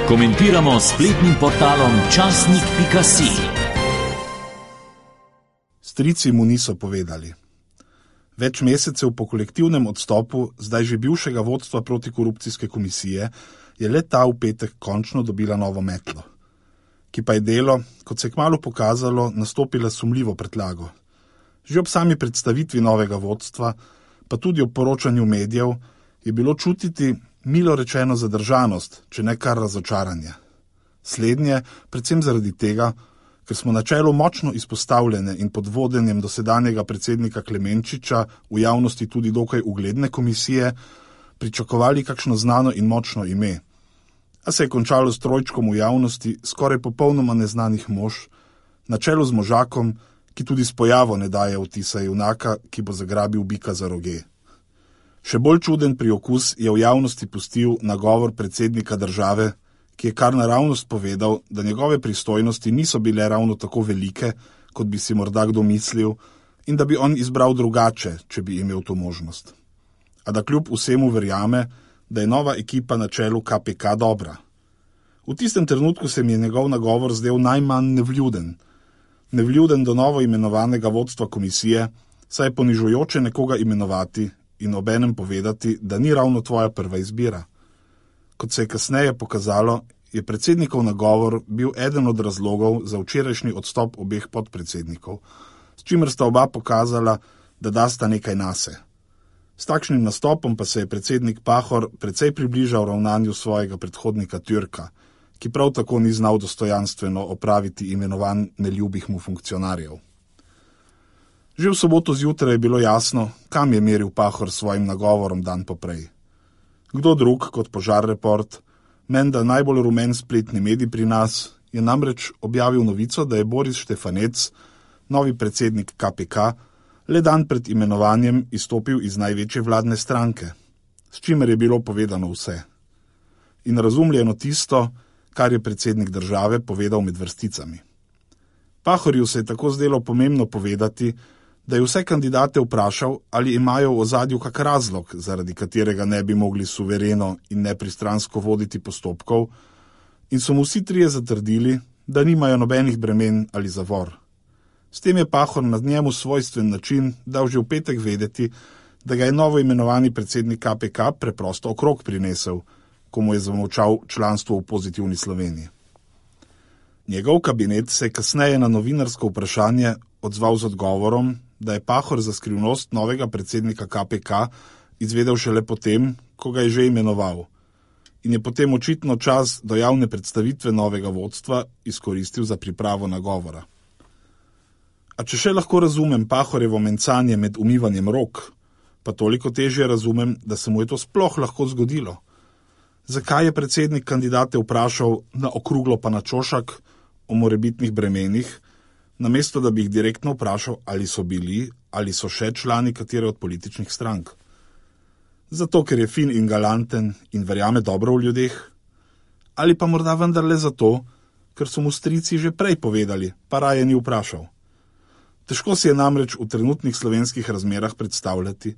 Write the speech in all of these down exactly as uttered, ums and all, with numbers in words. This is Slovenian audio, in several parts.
Komentiramo s spletnim portalom časnik pika si. Strici mu niso povedali. Več mesecev po kolektivnem odstopu zdaj že bivšega vodstva protikorupcijske komisije je le ta v petek končno dobila novo metlo, ki pa je delo, kot se je kmalu pokazalo, nastopila sumljivo pretlago. Že ob sami predstavitvi novega vodstva, pa tudi ob poročanju medijev, je bilo čutiti milo rečeno zadržanost, če ne kar razočaranje. Slednje predvsem zaradi tega, ker smo na čelu močno izpostavljene in pod vodenjem dosedanjega predsednika Klemenčiča v javnosti tudi dokaj ugledne komisije pričakovali kakšno znano in močno ime. A se je končalo s trojčkom v javnosti skoraj popolnoma neznanih mož, na čelu z možakom, ki tudi s pojavo ne daje vtisa junaka, ki bo zagrabil bika za roge. Še bolj čuden priokus je v javnosti pustil nagovor predsednika države, ki je kar naravnost povedal, da njegove pristojnosti niso bile ravno tako velike, kot bi si morda kdo mislil, in da bi on izbral drugače, če bi imel to možnost. A da kljub vsemu verjame, da je nova ekipa na čelu K P K dobra. V tistem trenutku se mi je njegov nagovor zdel najmanj nevljuden. Nevljuden do novo imenovanega vodstva komisije, saj je ponižujoče nekoga imenovati in obenem povedati, da ni ravno tvoja prva izbira. Kot se je kasneje pokazalo, je predsednikov nagovor bil eden od razlogov za včerajšnji odstop obeh podpredsednikov, s čimer sta oba pokazala, da dasta nekaj nase. S takšnim nastopom pa se je predsednik Pahor precej približal ravnanju svojega predhodnika Türka, ki prav tako ni znal dostojanstveno opraviti imenovanj neljubih mu funkcionarjev. Že v soboto zjutraj je bilo jasno, kam je meril Pahor s svojim nagovorom dan poprej. Kdo drug kot Požar Report, menda najbolj rumen spletni medij pri nas, je namreč objavil novico, da je Boris Štefanec, novi predsednik K P K, le dan pred imenovanjem izstopil iz največje vladne stranke, s čimer je bilo povedano vse. In razumljeno tisto, kar je predsednik države povedal med vrsticami. Pahorju se je tako zdelo pomembno povedati, da je vse kandidate vprašal, ali imajo v ozadju kak razlog, zaradi katerega ne bi mogli suvereno in nepristransko voditi postopkov, in so mu vsi trije zatrdili, da nimajo nobenih bremen ali zavor. S tem je Pahor na njemu svojstven način dal že v petek vedeti, da ga je novo imenovani predsednik K P K preprosto okrog prinesel, ko mu je zamolčal članstvo v Pozitivni Sloveniji. Njegov kabinet se je kasneje na novinarsko vprašanje odzval z odgovorom, da je Pahor za skrivnost novega predsednika K P K izvedel šele potem, ko ga je že imenoval, in je potem očitno čas do javne predstavitve novega vodstva izkoristil za pripravo nagovora. A če še lahko razumem Pahorjevo mencanje med umivanjem rok, pa toliko težje razumem, da se mu je to sploh lahko zgodilo. Zakaj je predsednik kandidate vprašal na okruglo pa na čošak o morebitnih bremenih, namesto da bi jih direktno vprašal, ali so bili ali so še člani katere od političnih strank? Zato, ker je fin in galanten in verjame dobro v ljudeh? Ali pa morda vendarle zato, ker so mu strici že prej povedali, pa raje ni vprašal? Težko si je namreč v trenutnih slovenskih razmerah predstavljati,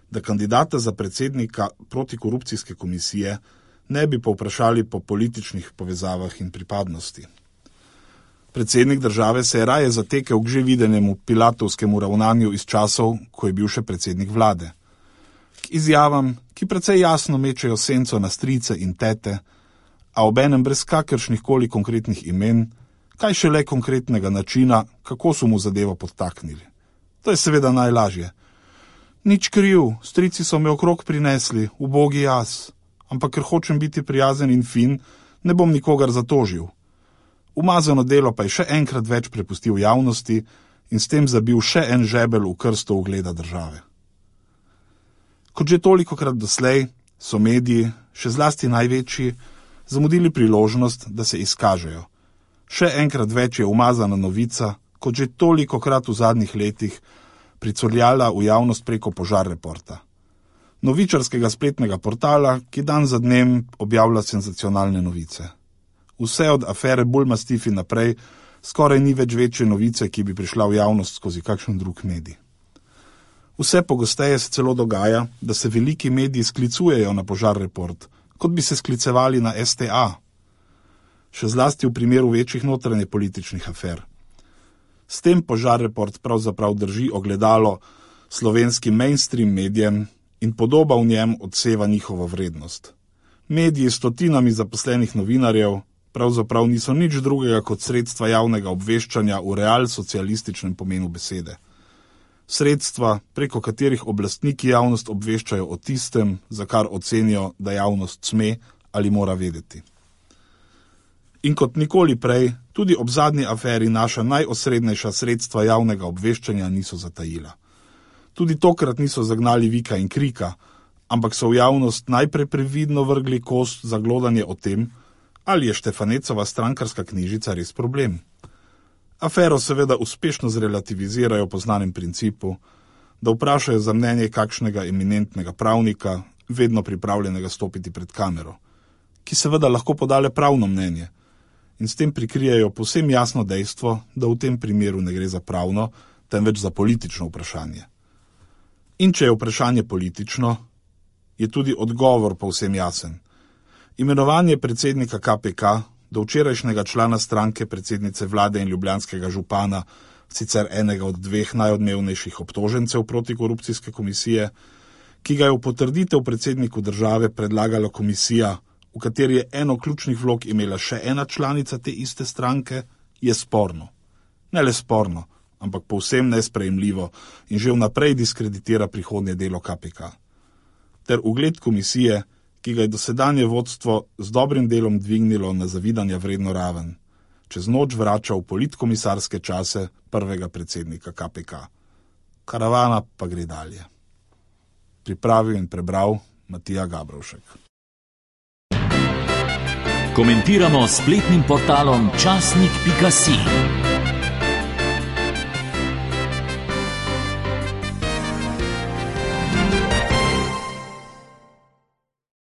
da kandidata za predsednika protikorupcijske komisije ne bi povprašali po političnih povezavah in pripadnosti. Predsednik države se je raje zatekel k že videnemu pilatovskemu ravnanju iz časov, ko je bil še predsednik vlade. K izjavam, ki precej jasno mečejo senco na strice in tete, a obenem brez kakršnih koli konkretnih imen, kaj šele konkretnega načina, kako so mu zadevo podtaknili. To je seveda najlažje. Nič kriv, strici so me okrog prinesli, ubogi jaz, ampak ker hočem biti prijazen in fin, ne bom nikogar zatožil. Umazano delo pa je še enkrat več prepustil javnosti in s tem zabil še en žebelj v krsto ugleda države. Kot že tolikokrat doslej so mediji, še zlasti največji, zamudili priložnost, da se izkažejo. Še enkrat več je umazana novica, kot že tolikokrat v zadnjih letih, pricurljala v javnost preko Požar Reporta. Novičarskega spletnega portala, ki dan za dnem objavlja senzacionalne novice. Vse od afere Bulmastifi naprej skoraj ni več večje novice, ki bi prišla v javnost skozi kakšen drug medij. Vse pogosteje se celo dogaja, da se veliki mediji sklicujejo na Požar Report, kot bi se sklicevali na S T A. še zlasti v primeru večjih notranje političnih afer. S tem Požar report pravzaprav drži ogledalo slovenskim mainstream medijem in podoba v njem odseva njihovo vrednost. Mediji s stotinami zaposlenih novinarjev pravzaprav niso nič drugega kot sredstva javnega obveščanja v realsocialističnem pomenu besede. Sredstva, preko katerih oblastniki javnost obveščajo o tistem, za kar ocenijo, da javnost sme ali mora vedeti. In kot nikoli prej, tudi ob zadnji aferi naša najosrednejša sredstva javnega obveščanja niso zatajila. Tudi tokrat niso zagnali vika in krika, ampak so v javnost najprej previdno vrgli kost za glodanje o tem, ali je Štefanecova strankarska knjižica res problem. Afero seveda uspešno zrelativizirajo po znanem principu, da vprašajo za mnenje kakšnega eminentnega pravnika, vedno pripravljenega stopiti pred kamero, ki seveda lahko podale pravno mnenje, in s tem prikrijejo povsem jasno dejstvo, da v tem primeru ne gre za pravno, temveč za politično vprašanje. In če je vprašanje politično, je tudi odgovor povsem jasen. Imenovanje predsednika K P K, do včerajšnjega člana stranke predsednice vlade in ljubljanskega župana, sicer enega od dveh najodmevnejših obtožencev protikorupcijske komisije, ki ga je v potrditev predsedniku države predlagala komisija, v kateri je eno ključnih vlog imela še ena članica te iste stranke, je sporno. Ne le sporno, ampak povsem nesprejemljivo in že vnaprej diskreditira prihodnje delo K P K. Ter ugled komisije, ki ga je dosedanje vodstvo z dobrim delom dvignilo na zavidanja vredno raven, čez noč vrača v politkomisarske čase prvega predsednika K P K. Karavana pa gre dalje. Pripravil in prebral Matija Gabrovšek. Komentiramo s spletnim portalom časnik pika si.